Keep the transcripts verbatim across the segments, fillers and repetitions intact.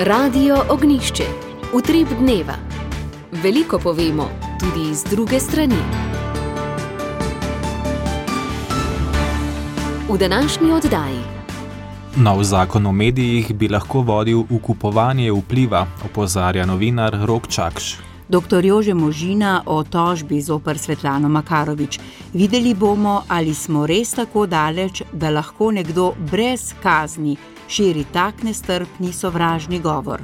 Radio Ognjišče, utrip dneva. Veliko povemo, tudi z druge strani. V današnji oddaji. Nov zakon o medijih bi lahko vodil v kupovanje vpliva, opozarja novinar Rok Čakš. Doktor Jože Možina o tožbi zoper Svetlano Makarovič. Videli bomo, ali smo res tako daleč, da lahko nekdo brez kazni širi tak nestrpni sovražni govor.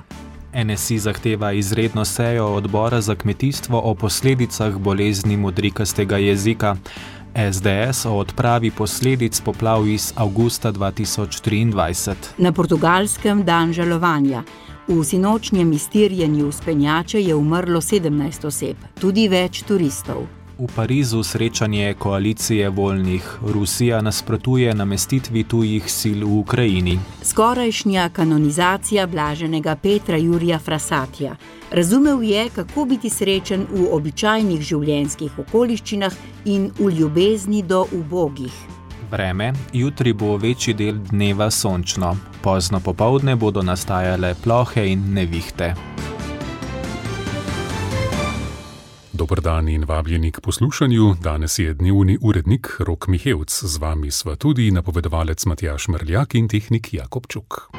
N S I zahteva izredno sejo odbora za kmetijstvo o posledicah bolezni modrikastega jezika. S D S o odpravi posledic poplav iz avgusta dva tisoč triindvajset. Na Portugalskem dan žalovanja. V sinočnjem iztirjenju vzpenjače je umrlo sedemnajst oseb, tudi več turistov. V Parizu srečanje koalicije voljnih. Rusija nasprotuje namestitvi tujih sil v Ukrajini. Skorajšnja kanonizacija blaženega Petra Jurija Frasatija. Razumel je, kako biti srečen v običajnih življenjskih okoliščinah in v ljubezni do ubogih. Vreme, jutri bo večji del dneva sončno. Pozno popoldne bodo nastajale plohe in nevihte. Dober dan in vabljeni k poslušanju. Danes je dnevni urednik Rok Mihevc. Z vami sva tudi napovedovalec Matjaž Mrljak in tehnik Jakob Čuk.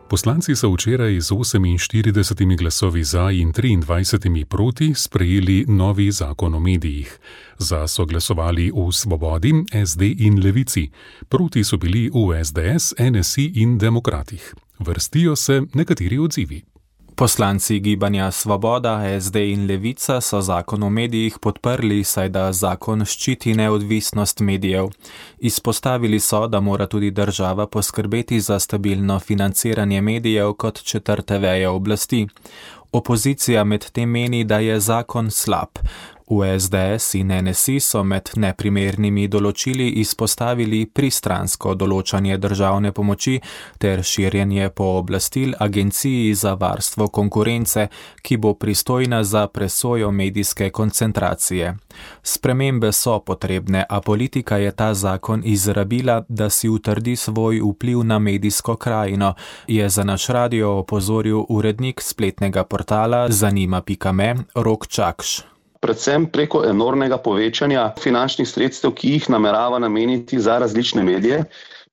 Poslanci so včeraj z oseminštiridesetimi glasovi za in triindvajsetimi proti sprejeli novi zakon o medijih. Za so glasovali v Svobodi, S D in Levici. Proti so bili v S D S, N S I in Demokratih. Vrstijo se nekateri odzivi. Poslanci gibanja Svoboda, S D in Levica so zakon o medijih podprli, saj da zakon ščiti neodvisnost medijev. Izpostavili so, da mora tudi država poskrbeti za stabilno financiranje medijev kot četrte veje oblasti. Opozicija medtem meni, da je zakon slab. V S D S in N S I so med neprimernimi določili izpostavili pristransko določanje državne pomoči ter širjenje pooblastil Agenciji za varstvo konkurence, ki bo pristojna za presojo medijske koncentracije. Spremembe so potrebne, a politika je ta zakon izrabila, da si utrdi svoj vpliv na medijsko krajino, je za naš radio opozoril urednik spletnega portala zanima pika me Rok Čakš. Predvsem preko enormnega povečanja finančnih sredstev, ki jih namerava nameniti za različne medije,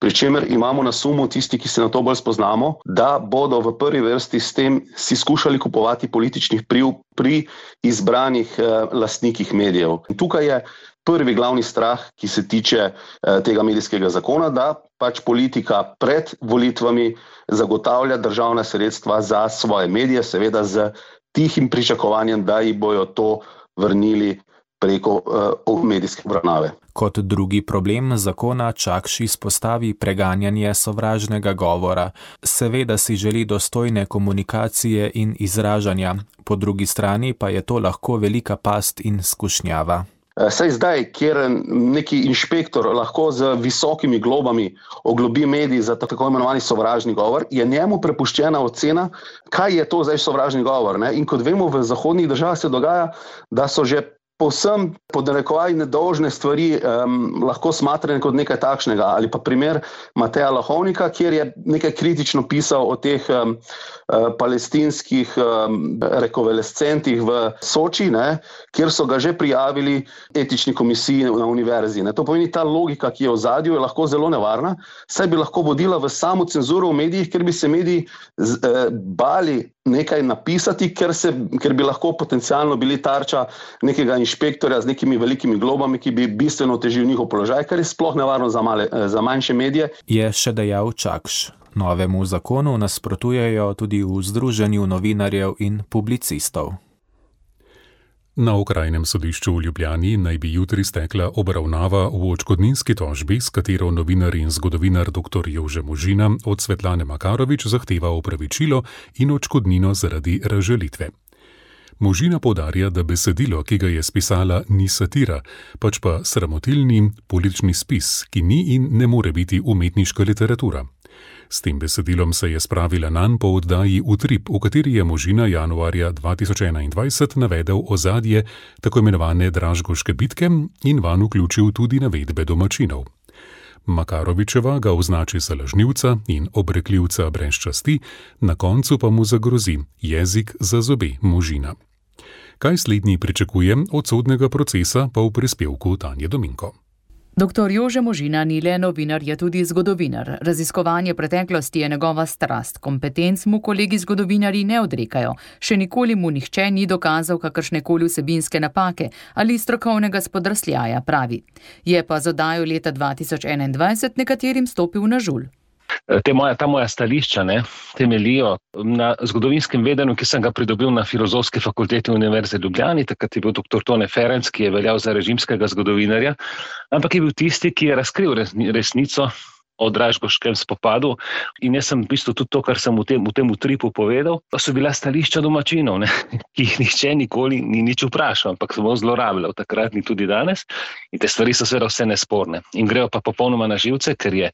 pri čemer imamo na sumu tisti, ki se na to bolj spoznamo, da bodo v prvi vrsti s tem si skušali kupovati političnih vpliv pri izbranih eh, lastnikih medijev. In tukaj je prvi glavni strah, ki se tiče eh, tega medijskega zakona, da pač politika pred volitvami zagotavlja državna sredstva za svoje medije, seveda z tihim pričakovanjem, da ji bojo to vrnili preko uh, medijske obravnave. Kot drugi problem zakona Čakš izpostavi preganjanje sovražnega govora. Seveda si želi dostojne komunikacije in izražanja, po drugi strani pa je to lahko velika past in skušnjava. Saj zdaj, kjer neki inšpektor lahko z visokimi globami oglobi medij za tako imenovani sovražni govor, je njemu prepuščena ocena, kaj je to zdaj sovražni govor. Ne? In kot vemo, v zahodnih državah se dogaja, da so že povsem pod narekovaji nedolžne stvari um, lahko smatrane kot nekaj takšnega. Ali pa primer Mateja Lahovnika, kjer je nekaj kritično pisal o teh um, uh, palestinskih um, rekovalescentih v Soči, ne, kjer so ga že prijavili etični komisiji na univerzi. Ne. To pomeni, ta logika, ki je v ozadju, je lahko zelo nevarna, saj bi lahko vodila v samo cenzuro v medijih, ker bi se mediji z, eh, bali nekaj napisati, ker, se, ker bi lahko potencialno bili tarča nekega inšpektorja z nekimi velikimi globami, ki bi bistveno otežil njihov položaj, kar je sploh nevarno za, male, za manjše medije. Je še dejal Čakš. Novemu zakonu nasprotujejo tudi v Združenju novinarjev in publicistov. Na Okrajnem sodišču v Ljubljani naj bi jutri stekla obravnava v odškodninski tožbi, s katero novinar in zgodovinar doktor Jože Možina od Svetlane Makarovič zahteva opravičilo in odškodnino zaradi razžalitve. Možina poudarja, da besedilo, ki ga je spisala, ni satira, pač pa sramotilni politični spis, ki ni in ne more biti umetniška literatura. S tem besedilom se je spravila nanj po oddaji Utrip, v kateri je Možina januarja dva tisoč enaindvajset navedel ozadje tako imenovane Dražgoške bitke in vanj vključil tudi navedbe domačinov. Makarovičeva ga označi za lažnivca in obrekljivca brez časti, na koncu pa mu zagrozi jezik za zobe Možina. Kaj slednji pričakuje od sodnega procesa, pa v prispevku Tanje Dominko. Doktor Jože Možina ni le novinar, je tudi zgodovinar. Raziskovanje preteklosti je njegova strast. Kompetenc mu kolegi zgodovinarji ne odrekajo. Še nikoli mu nihče ni dokazal kakršnekoli vsebinske napake ali strokovnega spodrsljaja, pravi. Je pa z oddajo leta dva tisoč enaindvajset nekaterim stopil na žulj. Te moja, ta moja stališča ne, temelijo na zgodovinskem vedenju, ki sem ga pridobil na Filozofski fakulteti Univerze v Ljubljani, takrat je bil doktor Tone Ferenc, ki je veljal za režimskega zgodovinarja, ampak je bil tisti, ki je razkril resnico o Dražgoškem spopadu in jaz sem v bistvu tudi to, kar sem v tem, v tem utripu povedal, pa so bila stališča domačinov, ne, ki jih nihče nikoli ni nič vprašal, ampak samo zlorabljal, takrat ni tudi danes in te stvari so seveda vse nesporne in grejo pa popolnoma na živce, ker je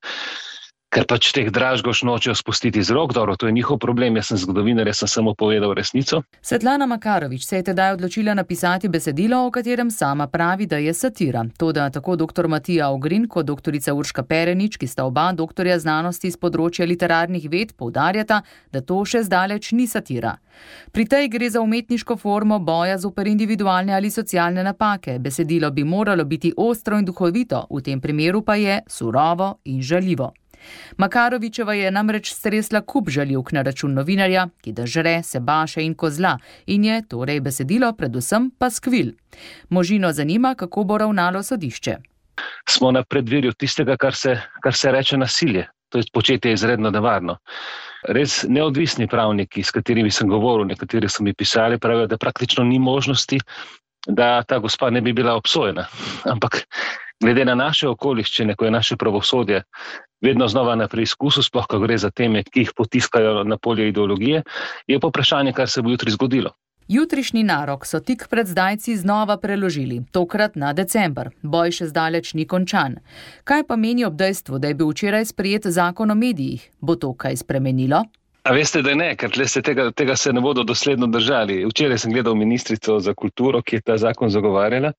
Ker pač teh Dražgoš nočejo spustiti z rok, dobro, to je njihov problem, jaz sem zgodovinar, jaz sem samo povedal resnico. Svetlana Makarovič se je tedaj odločila napisati besedilo, o katerem sama pravi, da je satira. Toda tako doktor Matija Ogrin kot doktorica Urška Perenič, ki sta oba doktorja znanosti z področja literarnih ved, poudarjata, da to še zdaleč ni satira. Pri tej gre za umetniško formo boja zoper individualne ali socialne napake. Besedilo bi moralo biti ostro in duhovito, v tem primeru pa je surovo in žaljivo. Makarovičeva je namreč stresla kup žaljivk na račun novinarja, ki da žre, se baše in kozla, in je torej besedilo predvsem pa skvil. Možino zanima, kako bo ravnalo sodišče. Smo na predvirju tistega, kar se, kar se reče nasilje. To je početje izredno nevarno. Res neodvisni pravniki, s katerimi sem govoril, nekateri so mi pisali, pravijo, da praktično ni možnosti, da ta gospa ne bi bila obsojena. Ampak glede na naše okoliščine, ko je naše pravosodje vedno znova na preizkusu, sploh ko gre za teme, ki jih potiskajo na polje ideologije, je pa vprašanje, kar se bo jutri zgodilo. Jutrišnji narok so tik pred zdajci znova preložili, tokrat na december. Boj še zdaleč ni končan. Kaj pa meni ob dejstvu, da je bil včeraj sprejet zakon o medijih? Bo to kaj spremenilo? A veste, da ne, ker se tega, tega se ne bodo dosledno držali. Včeraj sem gledal ministrico za kulturo, ki je ta zakon zagovarjala,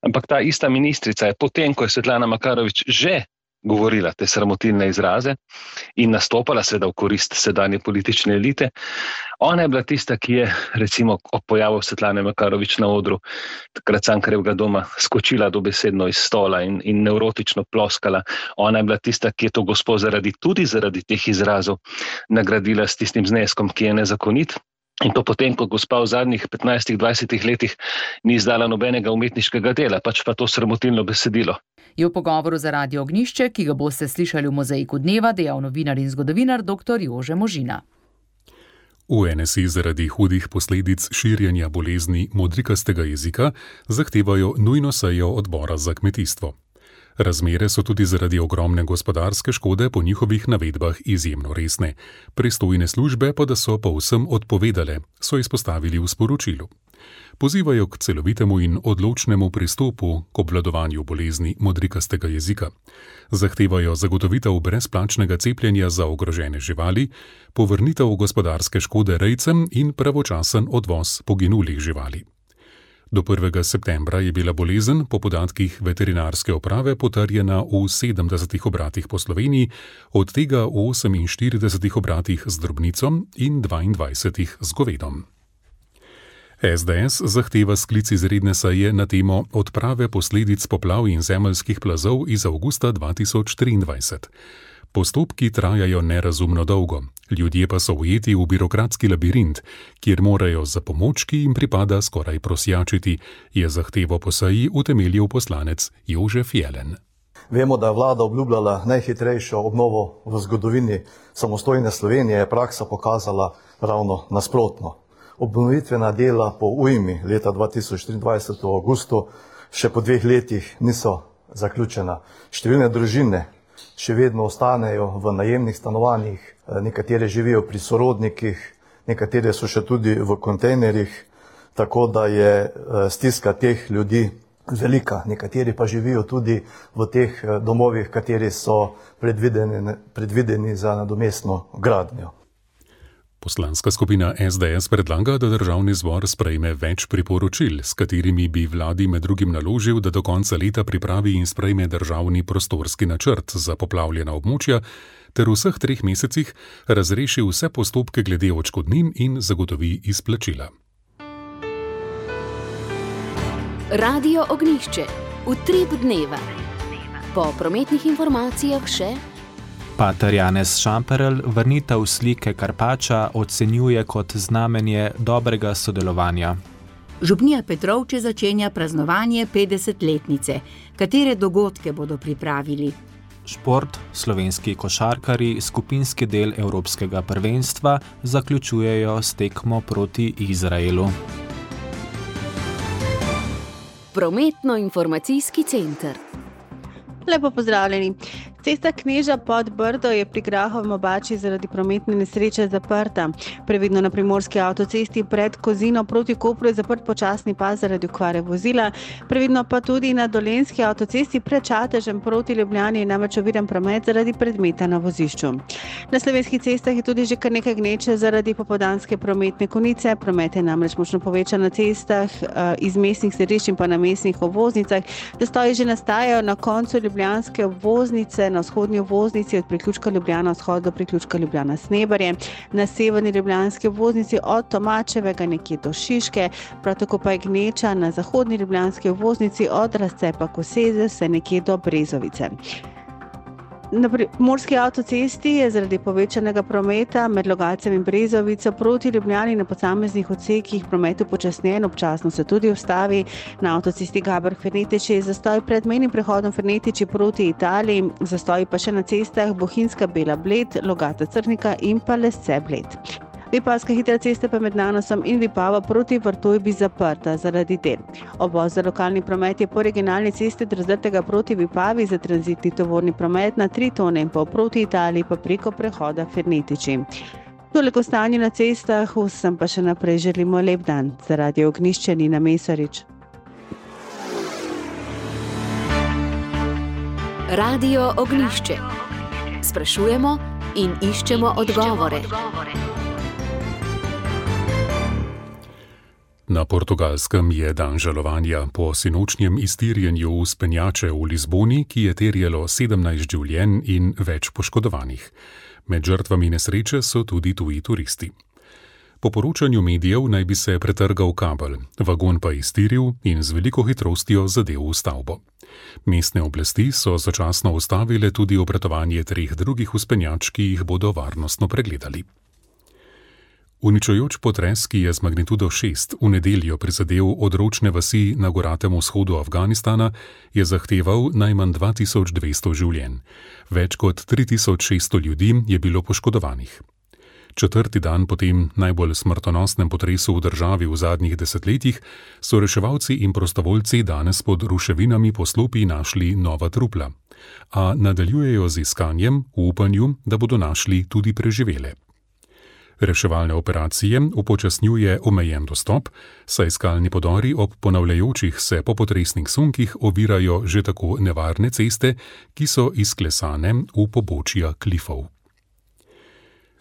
ampak ta ista ministrica je potem, ko je Svetlana Makarovič že govorila te sramotilne izraze in nastopala seveda v korist sedanje politične elite. Ona je bila tista, ki je recimo ob pojavu Svetlane Makarovič na odru takrat Cankarjevega doma skočila dobesedno iz stola in, in nevrotično ploskala. Ona je bila tista, ki je to gospo zaradi, tudi zaradi teh izrazov nagradila s tistim zneskom, ki je nezakonit. In to potem, ko gospa v zadnjih petnajstih dvajsetih letih ni izdala nobenega umetniškega dela, pač pa to sramotilno besedilo. Je v pogovoru za Radio Ognjišče, ki ga boste slišali v Mozaiku dneva, dejal novinar in zgodovinar doktor Jože Možina. V N S I zaradi hudih posledic širjenja bolezni modrikastega jezika zahtevajo nujno sejo odbora za kmetijstvo. Razmere so tudi zaradi ogromne gospodarske škode po njihovih navedbah izjemno resne. Pristojne službe pa da so povsem odpovedale, so izpostavili v sporočilu. Pozivajo k celovitemu in odločnemu pristopu k obvladovanju bolezni modrikastega jezika. Zahtevajo zagotovitev brezplačnega cepljenja za ogrožene živali, povrnitev gospodarske škode rejcem in pravočasen odvoz poginulih živali. Do prvega septembra je bila bolezen po podatkih veterinarske uprave potrjena v sedemdesetih obratih po Sloveniji, od tega v oseminštiridesetih obratih z drobnico in dvaindvajsetih z govedom. S D S zahteva sklic izredne seje na temo odprave posledic poplav in zemeljskih plazov iz avgusta dva tisoč triindvajset. Postopki trajajo nerazumno dolgo, ljudje pa so ujeti v birokratski labirint, kjer morajo za pomoč, ki jim pripada, skoraj prosjačiti, je zahtevo po seji utemeljil poslanec Jožef Jelen. Vemo, da je vlada obljubljala najhitrejšo obnovo v zgodovini samostojne Slovenije, je praksa pokazala ravno nasprotno. Obnovitvena dela po ujmi leta dva tisoč triindvajset v avgustu še po dveh letih niso zaključena. Številne družine še vedno ostanejo v najemnih stanovanjih, nekatere živijo pri sorodnikih, nekatere so še tudi v kontejnerjih, tako da je stiska teh ljudi velika. Nekateri pa živijo tudi v teh domovih, kateri so predvideni, predvideni za nadomestno gradnjo. Poslanska skupina es de es predlaga, da državni zbor sprejme več priporočil, s katerimi bi vladi med drugim naložil, da do konca leta pripravi in sprejme državni prostorski načrt za poplavljena območja ter v vseh treh mesecih razreši vse postopke glede odškodnin in zagotovi izplačila. Radio Ognjišče. Utrip dneva. Po prometnih informacijah še Pater Janez Šamperl vrnitev slike Karpača ocenjuje kot znamenje dobrega sodelovanja. Župnija Petrovče začenja praznovanje petdesetletnice. Katere dogodke bodo pripravili? Šport, slovenski košarkarji, skupinski del Evropskega prvenstva zaključujejo s tekmo proti Izraelu. Prometno-informacijski center. Lepo pozdravljeni. Cesta Kneža pod Brdo je pri Grahovem Obači zaradi prometne nesreče zaprta. Previdno na primorski avtocesti pred Kozino proti Kopru je zaprt počasni pas zaradi okvare vozila. Previdno pa tudi na Dolenjski avtocesti pred Čatežem proti Ljubljani je namreč oviran promet zaradi predmeta na vozišču. Na slovenskih cestah je tudi že kar nekaj gneče zaradi popoldanske prometne konice. Promet je namreč močno povečan na cestah iz mestnih središč in pa na mestnih obvoznicah. Zastoji že nastajajo na koncu ljubljanske obvoznice, na vzhodnji obvoznici od priključka Ljubljana vzhod do priključka Ljubljana Snebarje, na severni ljubljanski obvoznici od Tomačevega nekje do Šiške, prav tako pa je gneča na zahodni ljubljanski obvoznici od razcepa Koseze vse nekje do Brezovice. Na primorski avtocesti je zaradi povečanega prometa med Logatcem in Brezovico proti Ljubljani na posameznih odsekih promet upočasnjen, občasno se tudi ustavi. Na avtocesti Gaber-Fernetiči je zastoj pred mejnim prehodom Fernetiči proti Italiji, zastoj pa še na cestah Bohinjska Bela-Bled, Logata-Crnika in pa Lesce-Bled. Vipavska hitra cesta pa med Nanosom in Vipava proti Vrtojbi zaprta zaradi del. Obvoz za lokalni promet je po regionalni cesti Drzdrtega proti Vipavi za tranzitni tovorni promet na tri tone in pol proti Italiji pa preko prehoda Fernetiči. Toliko stanje na cestah, vsem pa še naprej želimo lep dan. Za Radio Ognjišče Nina Mesarič. Radio Ognjišče. Sprašujemo in iščemo odgovore. Na Portugalskem je dan žalovanja po sinočnjem iztirjenju vzpenjače v Lizboni, ki je terjalo sedemnajst življenj in več poškodovanih. Med žrtvami nesreče so tudi tuji turisti. Po poročanju medijev naj bi se pretrgal kabel, vagon pa iztiril in z veliko hitrostjo zadel v stavbo. Mestne oblasti so začasno ustavile tudi obratovanje treh drugih vzpenjač, ki jih bodo varnostno pregledali. Uničujoč potres, ki je z magnitudo šest v nedeljo prizadel odročne vasi na goratem vzhodu Afganistana, je zahteval najmanj dva tisoč dvesto življenj. Več kot tri tisoč šeststo ljudi je bilo poškodovanih. Četrti dan po tem najbolj smrtonosnem potresu v državi v zadnjih desetletjih so reševalci in prostovoljci danes pod ruševinami poslopij našli nova trupla, a nadaljujejo z iskanjem v upanju, da bodo našli tudi preživele. Reševalne operacije upočasnjuje omejen dostop, saj skalni podori ob ponavljajočih se popotresnih sunkih ovirajo že tako nevarne ceste, ki so izklesane v pobočja klifov.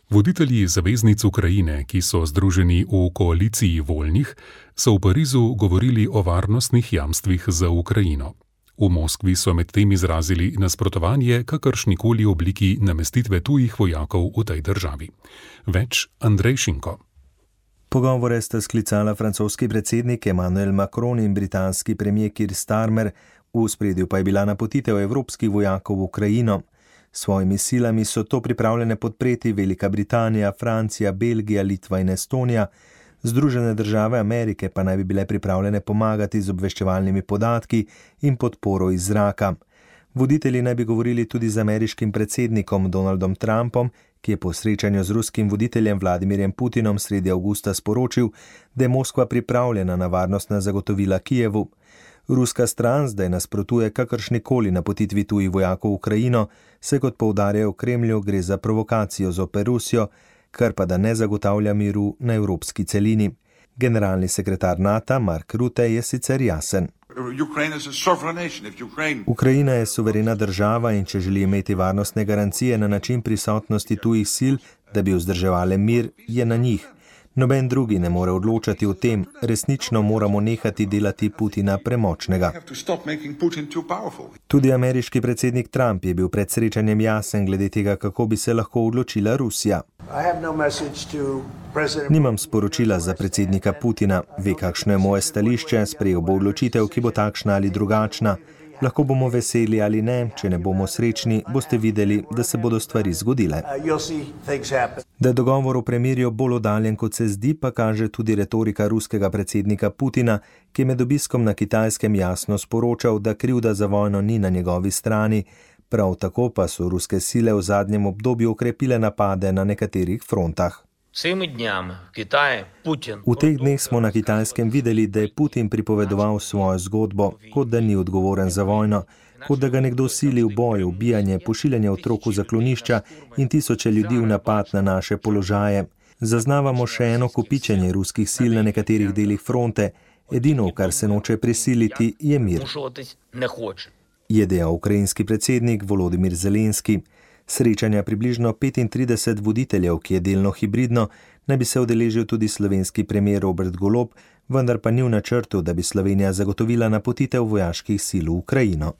Voditelji zaveznic Ukrajine, ki so združeni v koaliciji voljnih, so v Parizu govorili o varnostnih jamstvih za Ukrajino. V Moskvi so medtem izrazili nasprotovanje kakršnikoli obliki namestitve tujih vojakov v tej državi. Več Andrej Šinko. Pogovore sta sklicala francoski predsednik Emmanuel Macron in britanski premier Keir Starmer, v ospredju pa je bila napotitev evropskih vojakov v Ukrajino. S svojimi silami so to pripravljene podpreti Velika Britanija, Francija, Belgija, Litva in Estonija. Združene države Amerike pa naj bi bile pripravljene pomagati z obveščevalnimi podatki in podporo iz zraka. Voditelji naj bi govorili tudi z ameriškim predsednikom Donaldom Trumpom, ki je po srečanju z ruskim voditeljem Vladimirjem Putinom sredi avgusta sporočil, da je Moskva pripravljena na varnostna zagotovila Kijevu. Ruska stran zdaj nasprotuje kakršnikoli napotitvi tujih vojakov v Ukrajino, se kot poudarjajo v Kremlju gre za provokacijo zoper Rusijo, kar pa da ne zagotavlja miru na evropski celini. Generalni sekretar NATO Mark Rutte je sicer jasen. Ukrajina je suverena država in če želi imeti varnostne garancije na način prisotnosti tujih sil, da bi vzdrževale mir, je na njih. Noben drugi ne more odločati o tem, resnično moramo nehati delati Putina premočnega. Tudi ameriški predsednik Trump je bil pred srečanjem jasen glede tega, kako bi se lahko odločila Rusija. Nimam sporočila za predsednika Putina, ve, kakšno je moje stališče, sprejel bo odločitev, ki bo takšna ali drugačna. Lahko bomo veseli ali ne, če ne bomo srečni, boste videli, da se bodo stvari zgodile. Da je dogovor o premirju bolj oddaljen, kot se zdi, pa kaže tudi retorika ruskega predsednika Putina, ki je med obiskom na Kitajskem jasno sporočal, da krivda za vojno ni na njegovi strani. Prav tako pa so ruske sile v zadnjem obdobju okrepile napade na nekaterih frontah. V teh dneh smo na Kitajskem videli, da je Putin pripovedoval svojo zgodbo, kot da ni odgovoren za vojno, kot da ga nekdo sili v boj, ubijanje, pošiljanje otrok v zaklonišča in tisoče ljudi v napad na naše položaje. Zaznavamo še eno kopičenje ruskih sil na nekaterih delih fronte. Edino, kar se noče prisiliti, je mir. Je dejal ukrajinski predsednik Volodimir Zelenski. Srečanja približno petintrideset voditeljev, ki je delno hibridno, naj bi se udeležil tudi slovenski premier Robert Golob, vendar pa ni v načrtu, da bi Slovenija zagotovila napotitev vojaških sil v Ukrajino.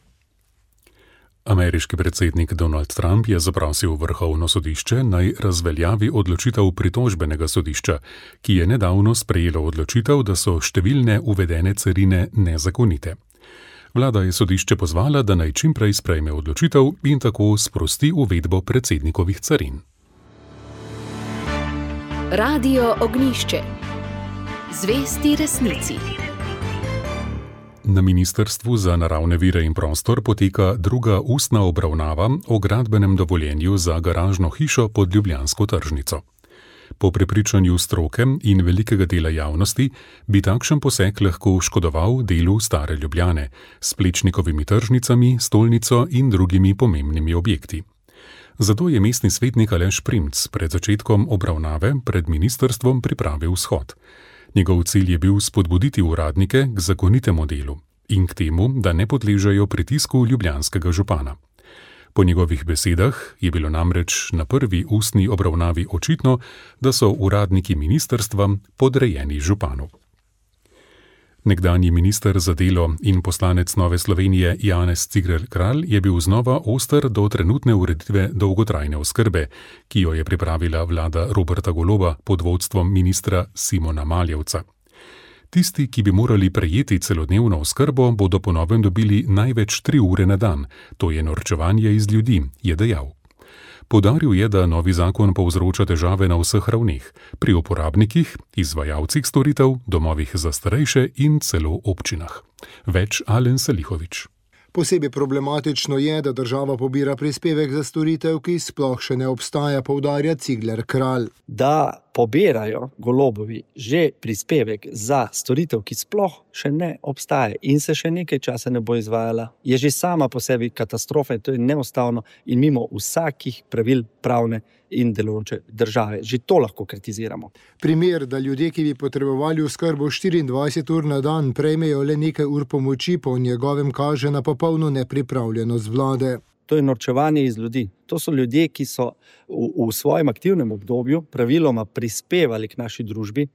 Ameriški predsednik Donald Trump je zaprosil Vrhovno sodišče, naj razveljavi odločitev pritožbenega sodišča, ki je nedavno sprejelo odločitev, da so številne uvedene carine nezakonite. Vlada je sodišče pozvala, da naj čim prej sprejme odločitev in tako sprosti uvedbo predsednikovih carin. Radio Ognjišče. Zvesti resnici. Na Ministrstvu za naravne vire in prostor poteka druga ustna obravnava o gradbenem dovoljenju za garažno hišo pod ljubljansko tržnico. Po prepričanju stroke in velikega dela javnosti bi takšen poseg lahko škodoval delu stare Ljubljane s Plečnikovimi tržnicami, stolnico in drugimi pomembnimi objekti. Zato je mestni svetnik Aleš Primc pred začetkom obravnave pred ministrstvom pripravil shod. Njegov cilj je bil spodbuditi uradnike k zakonitemu delu in k temu, da ne podležejo pritisku ljubljanskega župana. Po njegovih besedah je bilo namreč na prvi ustni obravnavi očitno, da so uradniki ministrstva podrejeni županu. Nekdanji minister za delo in poslanec Nove Slovenije Janez Cigler Kralj je bil znova oster do trenutne ureditve dolgotrajne oskrbe, ki jo je pripravila vlada Roberta Goloba pod vodstvom ministra Simona Maljevca. Tisti, ki bi morali prejeti celodnevno oskrbo, bodo po novem dobili največ tri ure na dan, to je norčevanje iz ljudi, je dejal. Poudaril je, da novi zakon povzroča težave na vseh ravneh, pri uporabnikih, izvajalcih storitev, domovih za starejše in celo občinah. Več Alen Selihovič. Posebej problematično je, da država pobira prispevek za storitev, ki sploh še ne obstaja, poudarja Cigler Kralj. Da pobirajo Golobovi že prispevek za storitev, ki sploh še ne obstaja in se še nekaj časa ne bo izvajala, je že sama po sebi katastrofa in to je neustavno in mimo vsakih pravil pravne in delujoče države. Že to lahko kritiziramo. Primer, da ljudje, ki bi potrebovali oskrbo štiriindvajset ur na dan, prejmejo le nekaj ur pomoči, po njegovem kaže na popolno nepripravljenost vlade. To je norčevanje iz ljudi. To so ljudje, ki so v, v svojem aktivnem obdobju praviloma prispevali k naši družbi,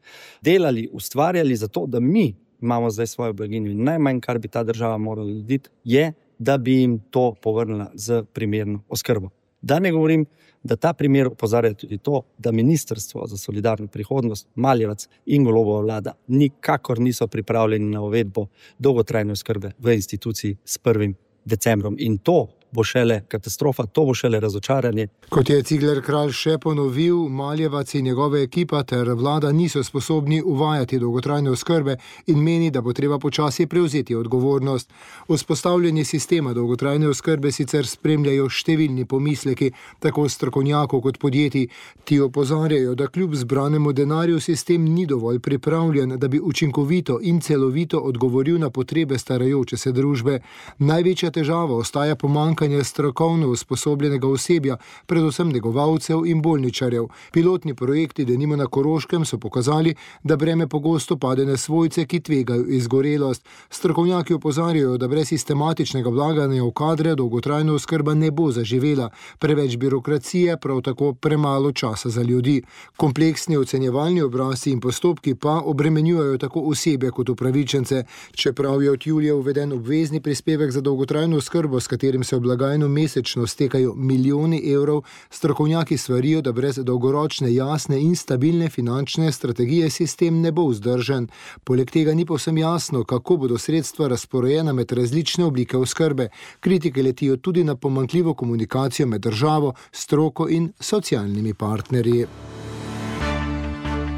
delali, ustvarjali za to, da mi imamo zdaj svojo blaginjo. In najmanj, kar bi ta država morala narediti, je, da bi jim to povrnila z primerno oskrbo. Da ne govorim, da ta primer opozarja tudi to, da Ministrstvo za solidarno prihodnost, Maljevac in Golobova vlada nikakor niso pripravljeni na uvedbo dolgotrajne oskrbe v instituciji s prvim decembrom. In to bo šele katastrofa, to bo šele razočaranje. Kot je Cigler Kralj še ponovil, Maljevac in njegove ekipa ter vlada niso sposobni uvajati dolgotrajne oskrbe in meni, da bo treba počasi prevzeti odgovornost. Vzpostavljanje sistema dolgotrajne oskrbe sicer spremljajo številni pomisleki, tako strokovnjakov kot podjetij. Ti opozarjajo, da kljub zbranemu denarju sistem ni dovolj pripravljen, da bi učinkovito in celovito odgovoril na potrebe starajoče se družbe. Največja težava ostaja pomanjkanje pomankanje strokovno usposobljenega osebja, predvsem negovalcev in bolničarjev. Pilotni projekti, denimo na Koroškem, so pokazali, da breme pogosto pade na svojce, ki tvegajo izgorelost. Strokovnjaki opozarjajo, da brez sistematičnega vlaganja v kadre dolgotrajna oskrba ne bo zaživela. Preveč birokracije, prav tako premalo časa za ljudi. Kompleksni ocenjevalni obrazci in postopki pa obremenjujejo tako osebe kot upravičence. Čeprav je od julija uveden obvezni prispevek za dolgotrajno oskrbo, s katerim se v blagajno mesečno stekajo milijoni evrov, strokovnjaki svarijo, da brez dolgoročne, jasne in stabilne finančne strategije sistem ne bo vzdržen. Poleg tega ni povsem jasno, kako bodo sredstva razporejena med različne oblike oskrbe. Kritike letijo tudi na pomanjkljivo komunikacijo med državo, stroko in socialnimi partnerji.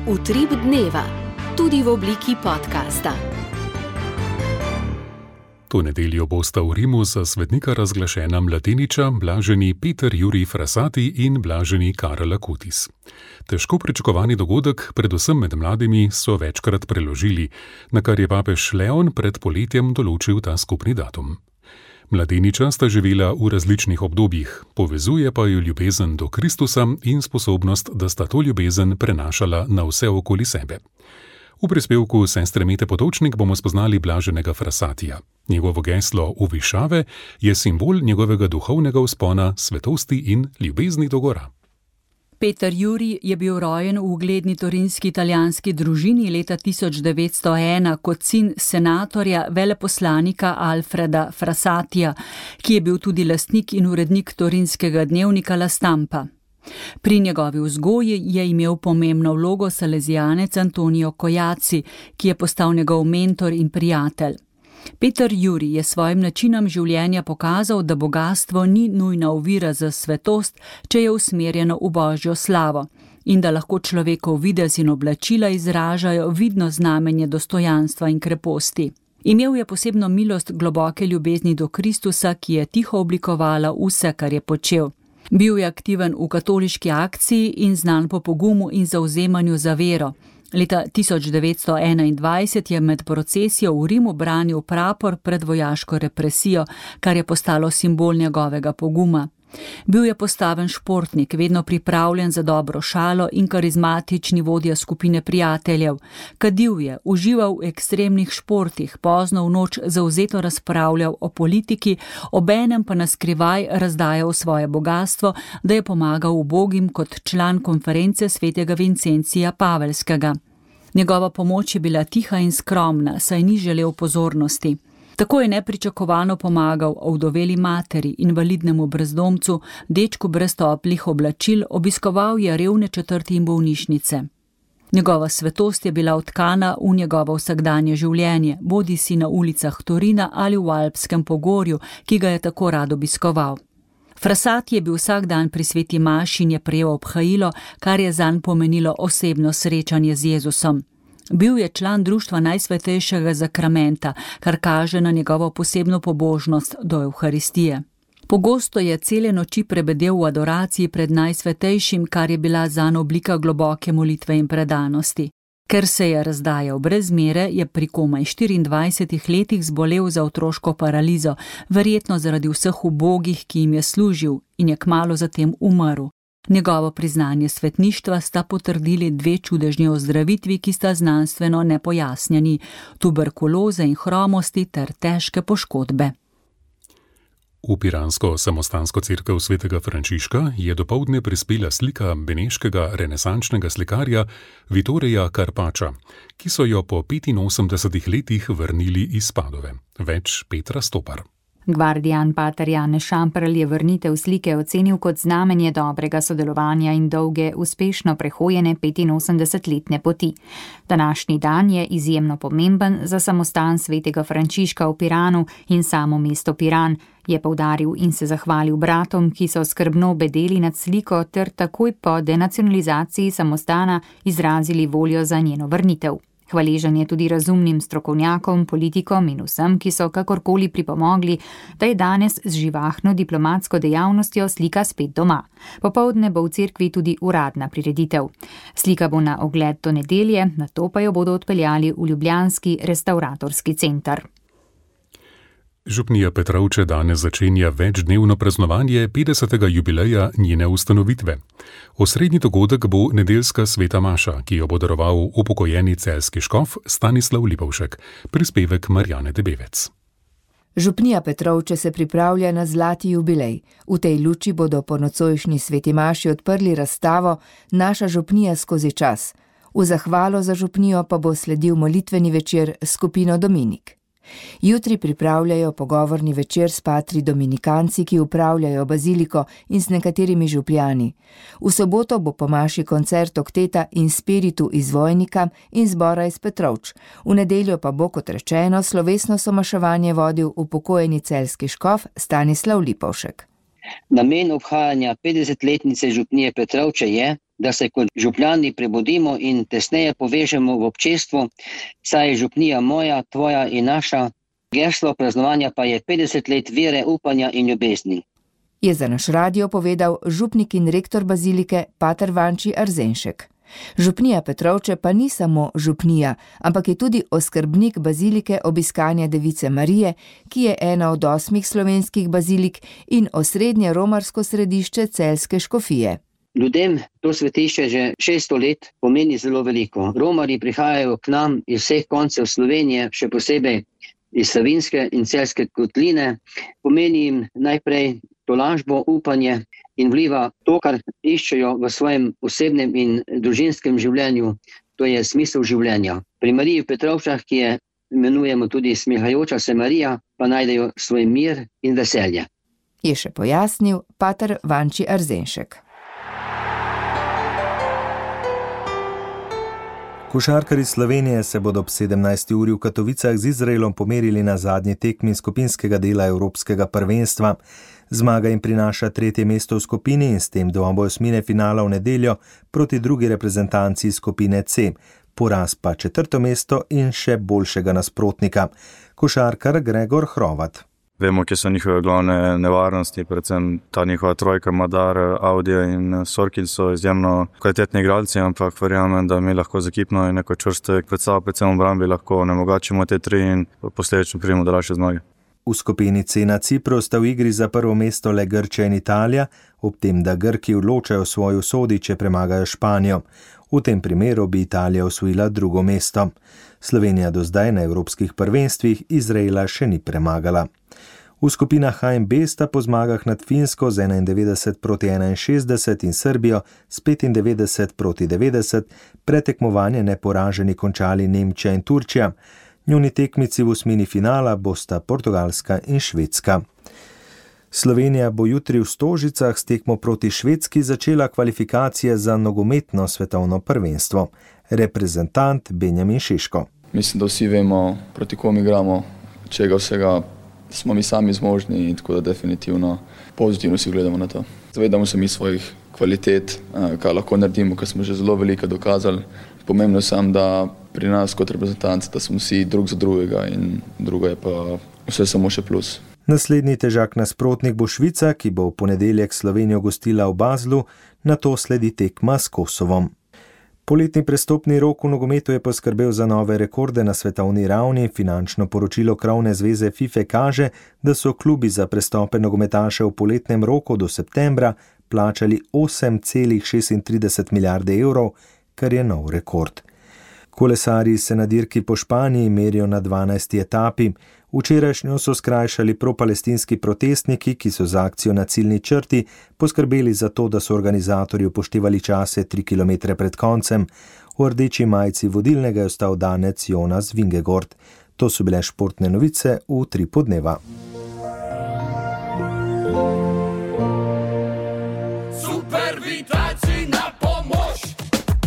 Utrip dneva, tudi v obliki podcasta. To nedeljo bosta v Rimu za svetnika razglašena mladeniča blaženi Peter Jurij Frassati in blaženi Karel Acutis. Težko pričakovani dogodek, predvsem med mladimi, so večkrat preložili, na kar je papež Leon pred poletjem določil ta skupni datum. Mladeniča sta živela v različnih obdobjih, povezuje pa jo ljubezen do Kristusa in sposobnost, da sta to ljubezen prenašala na vse okoli sebe. V prispevku sestre Mete Potočnik bomo spoznali blaženega Frassatija. Njegovo geslo v višave je simbol njegovega duhovnega vzpona, svetosti in ljubezni do gora. Peter Jurij je bil rojen v ugledni torinski italijanski družini leta tisoč devetsto ena kot sin senatorja veleposlanika Alfreda Frassatija, ki je bil tudi lastnik in urednik torinskega dnevnika La Stampa. Pri njegovi vzgoji je imel pomembno vlogo salezijanec Antonio Cojaci, ki je postal njegov mentor in prijatelj. Peter Jurij je svojim načinom življenja pokazal, da bogastvo ni nujna ovira za svetost, če je usmerjeno v Božjo slavo, in da lahko človekov videz in oblačila izražajo vidno znamenje dostojanstva in kreposti. Imel je posebno milost globoke ljubezni do Kristusa, ki je tiho oblikovala vse, kar je počel. Bil je aktiven v katoliški akciji in znan po pogumu in zavzemanju za vero. Leta tisoč devetsto enaindvajset je med procesijo v Rimu branil prapor pred vojaško represijo, kar je postalo simbol njegovega poguma. Bil je postaven športnik, vedno pripravljen za dobro šalo in karizmatični vodja skupine prijateljev. Kadil je, užival v ekstremnih športih, pozno v noč zavzeto razpravljal o politiki, obenem pa naskrivaj razdajal svoje bogastvo, da je pomagal ubogim kot član konference svetega Vincencija Pavelskega. Njegova pomoč je bila tiha in skromna, saj ni želel pozornosti. Tako je nepričakovano pomagal ovdoveli materi, invalidnemu brezdomcu, dečku brez toplih oblačil, obiskoval je revne četrti in bolnišnice. Njegova svetost je bila vtkana v njegovo vsakdanje življenje, bodisi na ulicah Torina ali v Alpskem pogorju, ki ga je tako rad obiskoval. Frassati je bil vsak dan pri sveti maši in je prejel obhajilo, kar je zanj pomenilo osebno srečanje z Jezusom. Bil je član društva Najsvetejšega zakramenta, kar kaže na njegovo posebno pobožnost do Evharistije. Pogosto je cele noči prebedel v adoraciji pred Najsvetejšim, kar je bila zanj oblika globoke molitve in predanosti. Ker se je razdajal brez mere, je pri komaj štiriindvajsetih letih zbolel za otroško paralizo, verjetno zaradi vseh ubogih, ki jim je služil, in je kmalu zatem umrl. Njegovo priznanje svetništva sta potrdili dve čudežni ozdravitvi, ki sta znanstveno nepojasnjeni, tuberkuloze in hromosti ter težke poškodbe. V piransko samostansko cerkev svetega Frančiška je dopoldne prispela slika beneškega renesančnega slikarja Vittorija Carpaccia, ki so jo po petinosemdesetih letih vrnili iz Padove. Več Petra Stopar. Gvardijan pater Janez Šamprl je vrnitev slike ocenil kot znamenje dobrega sodelovanja in dolge, uspešno prehojene petinosemdesetletne poti. Današnji dan je izjemno pomemben za samostan svetega Frančiška v Piranu in samo mesto Piran, je poudaril in se zahvalil bratom, ki so skrbno bedeli nad sliko ter takoj po denacionalizaciji samostana izrazili voljo za njeno vrnitev. Hvaležen je tudi razumnim strokovnjakom, politikom in vsem, ki so kakorkoli pripomogli, da je danes z živahno diplomatsko dejavnostjo slika spet doma. Popoldne bo v cerkvi tudi uradna prireditev. Slika bo na ogled do nedelje, nato pa jo bodo odpeljali v ljubljanski restavratorski center. Župnija Petrovče danes začenja večdnevno praznovanje petdesetega jubileja njene ustanovitve. Osrednji dogodek bo nedeljska sveta maša, ki jo bo daroval upokojeni celjski škof Stanislav Lipovšek, prispevek Marjane Debevec. Župnija Petrovče se pripravlja na zlati jubilej. V tej luči bodo po nocojšnji sveti maši odprli razstavo Naša župnija skozi čas. V zahvalo za župnijo pa bo sledil molitveni večer s skupino Dominik. Jutri pripravljajo pogovorni večer s patri dominikanci, ki upravljajo baziliko, in s nekaterimi župljani. V soboto bo po maši koncert okteta in spiritu iz Vojnika in zbora iz Petrovč. V nedeljo pa bo, kot rečeno, slovesno somaševanje vodil upokojeni celjski škof Stanislav Lipovšek. Namen obhajanja petdesetletnice župnije Petrovče je, da se kot župljani prebudimo in tesneje povežemo v občestvu, saj je župnija moja, tvoja in naša. Geslo praznovanja pa je petdeset let vere, upanja in ljubezni. Je za naš radio povedal župnik in rektor bazilike pater Vanči Arzenšek. Župnija Petrovče pa ni samo župnija, ampak je tudi oskrbnik bazilike Obiskanja Device Marije, ki je ena od osmih slovenskih bazilik in osrednje romarsko središče celjske škofije. Ljudem to svetišče že šeststo let pomeni zelo veliko. Romarji prihajajo k nam iz vseh koncev Slovenije, še posebej iz Savinjske in Celjske kotline. Pomeni jim najprej tolažbo, upanje in vliva to, kar iščejo v svojem osebnem in družinskem življenju, to je smisel življenja. Pri Mariji v Petrovčah, ki je imenujemo tudi smehajoča se Marija, pa najdejo svoj mir in veselje. Je še pojasnil pater Vanči Arzenšek. Košarkarji Slovenije se bodo ob sedemnajsti uri v Katovicah z Izraelom pomerili na zadnji tekmi skupinskega dela Evropskega prvenstva. Zmaga jim prinaša tretje mesto v skupini in s tem dvoboj osmine finala v nedeljo proti drugi reprezentanci skupine C. Poraz pa četrto mesto in še boljšega nasprotnika. Košarkar Gregor Hrovat. Vemo, kje so njihove glavne nevarnosti, predvsem ta njihova trojka, Madar, Audija in Sorkin so izjemno kvalitetni igralci, ampak verjamem, da mi lahko z ekipno in neko čvrste predstavo, predvsem v obrambi, lahko onemogočimo te tri in posledično pridemo do daljše zmage. V skupini C na Cipru sta v igri za prvo mesto le Grčija in Italija, ob tem, da Grki odločajo svojo usodi, če premagajo Španijo. V tem primeru bi Italija osvojila drugo mesto. Slovenija do zdaj na evropskih prvenstvih Izraela še ni premagala. V skupinah H in B sta po zmagah nad Finsko z enaindevetdeset proti enainšestdeset in Srbijo s petindevetdeset proti devetdeset pretekmovanje neporaženi končali Nemčija in Turčija. Njuni tekmici v osmini finala bosta Portugalska in Švedska. Slovenija bo jutri v Stožicah s tekmo proti Švedski začela kvalifikacije za nogometno svetovno prvenstvo. Reprezentant Benjamin Šeško. Mislim, da vsi vemo, proti kom igramo, čega vsega smo mi sami zmožni in tako da definitivno pozitivno si gledamo na to. Zavedamo se mi svojih kvalitet, kaj lahko naredimo, ker smo že zelo veliko dokazali. Pomembno je samo, da pri nas kot reprezentanci, da smo vsi drug za drugega in drugo je pa vse samo še plus. Naslednji težak nasprotnik bo Švica, ki bo v ponedeljek Slovenijo gostila v Baslu, nato sledi tekma s Kosovom. Poletni prestopni rok v nogometu je poskrbel za nove rekorde na svetovni ravni. Finančno poročilo krovne zveze FIFA kaže, da so klubi za prestope nogometaše v poletnem roku do septembra plačali osem celih šestintrideset milijarde evrov, kar je nov rekord. Kolesarji se na dirki po Španiji merijo na dvanajsti etapi. Včerajšnjo so skrajšali propalestinski protestniki, ki so za akcijo na ciljni črti poskrbeli za to, da so organizatorji upoštevali čase tri kilometre pred koncem. V rdeči majici vodilnega je ostal Danec Jonas Vingegaard. To so bile športne novice v tri podneva. Super vitalci na pomoč!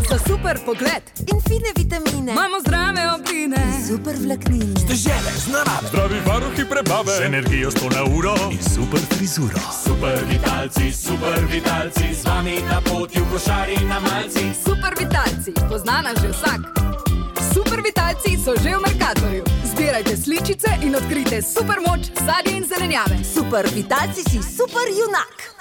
Za super pogled in fine vitamine. Imamo zdrave obline. Super vlaknine. Stežele z narave. Zdravi varuhi prebave. Z energijo sto na uro. In super frizuro. Super vitalci, super vitalci. Z vami na poti v košari na malci. Super vitalci, poznana že vsak. Super vitalci so že v Mercatorju. Zbirajte sličice in odkrite super moč sadje in zelenjave. Super vitalci si super junak.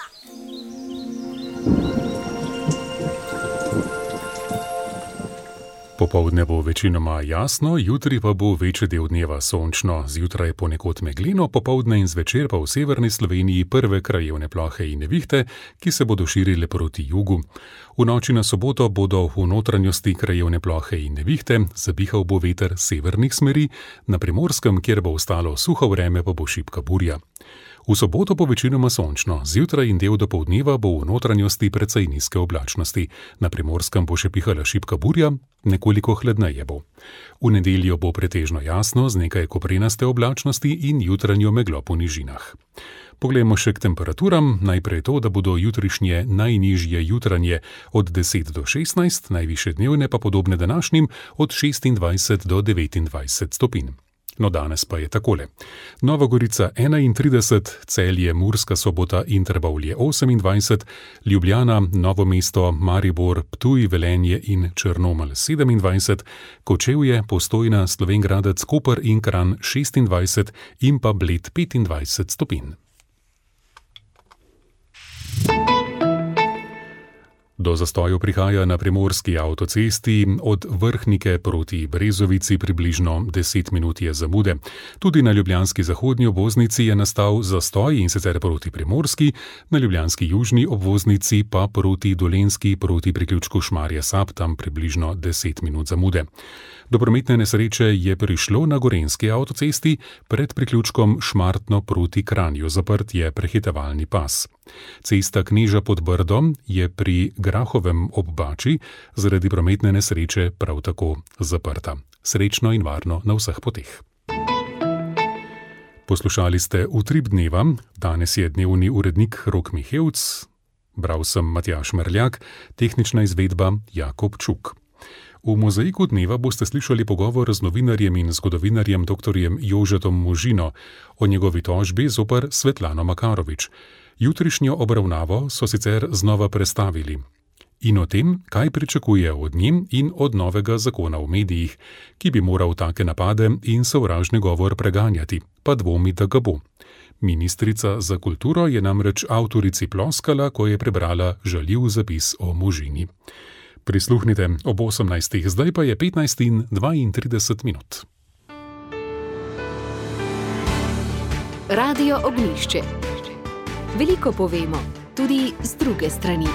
Popoldne bo večinoma jasno, jutri pa bo večji del dneva sončno, zjutraj ponekod megleno, popoldne in zvečer pa v severni Sloveniji prve krajevne plohe in nevihte, ki se bodo širile proti jugu. V noči na soboto bodo v notranjosti krajevne plohe in nevihte, zapihal bo veter severnih smeri, na Primorskem, kjer bo ostalo suho vreme, pa bo šibka burja. V soboto bo večinoma sončno, zjutraj in del dopoldneva bo v notranjosti precej nizke oblačnosti, na Primorskem bo še pihala šibka burja, nekoliko hladneje bo. V nedeljo bo pretežno jasno z nekaj koprenaste oblačnosti in jutranjo meglo po nižinah. Poglejmo še k temperaturam, najprej to, da bodo jutrišnje najnižje jutranje od deset do šestnajst, najvišje dnevne pa podobne današnjim od šestindvajset do devetindvajset stopinj. No, danes pa je takole. Nova Gorica enaintrideset, Celje, Murska Sobota in Trbovlje osemindvajset, Ljubljana, Novo mesto, Maribor, Ptuj, Velenje in Črnomelj sedemindvajset, Kočevje, Postojna, Slovenj Gradec, Koper in Kranj šestindvajset in pa Bled petindvajset stopinj. Do zastojev prihaja na primorski avtocesti, od Vrhnike proti Brezovici približno deset minut je zamude. Tudi na ljubljanski zahodnji obvoznici je nastal zastoj in sicer proti Primorski, na ljubljanski južni obvoznici pa proti Dolenjski proti priključku Šmarje-Sap, tam približno deset minut zamude. Do prometne nesreče je prišlo na gorenjski avtocesti, pred priključkom Šmartno proti Kranju, zaprt je prehitevalni pas. Cesta Kneža pod Brdom je pri Grahovem ob Bači zaradi prometne nesreče prav tako zaprta. Srečno in varno na vseh poteh. Poslušali ste Utrip dneva, danes je dnevni urednik Rok Mihevc, bral sem Matjaž Merljak, tehnična izvedba Jakob Čuk. V mozaiku dneva boste slišali pogovor z novinarjem in zgodovinarjem doktorjem Jožetom Možino o njegovi tožbi zoper Svetlano Makarovič. Jutrišnjo obravnavo so sicer znova prestavili. In o tem, kaj pričakuje od njim in od novega zakona v medijih, ki bi moral take napade in sovražni govor preganjati, pa dvomi, da ga bo. Ministrica za kulturo je namreč avtorici ploskala, ko je prebrala žaljiv zapis o Možini. Prisluhnite ob osemnajstih, zdaj pa je petnajst in dvaintrideset minut. Radio Ognjišče. Veliko povemo, tudi z druge strani.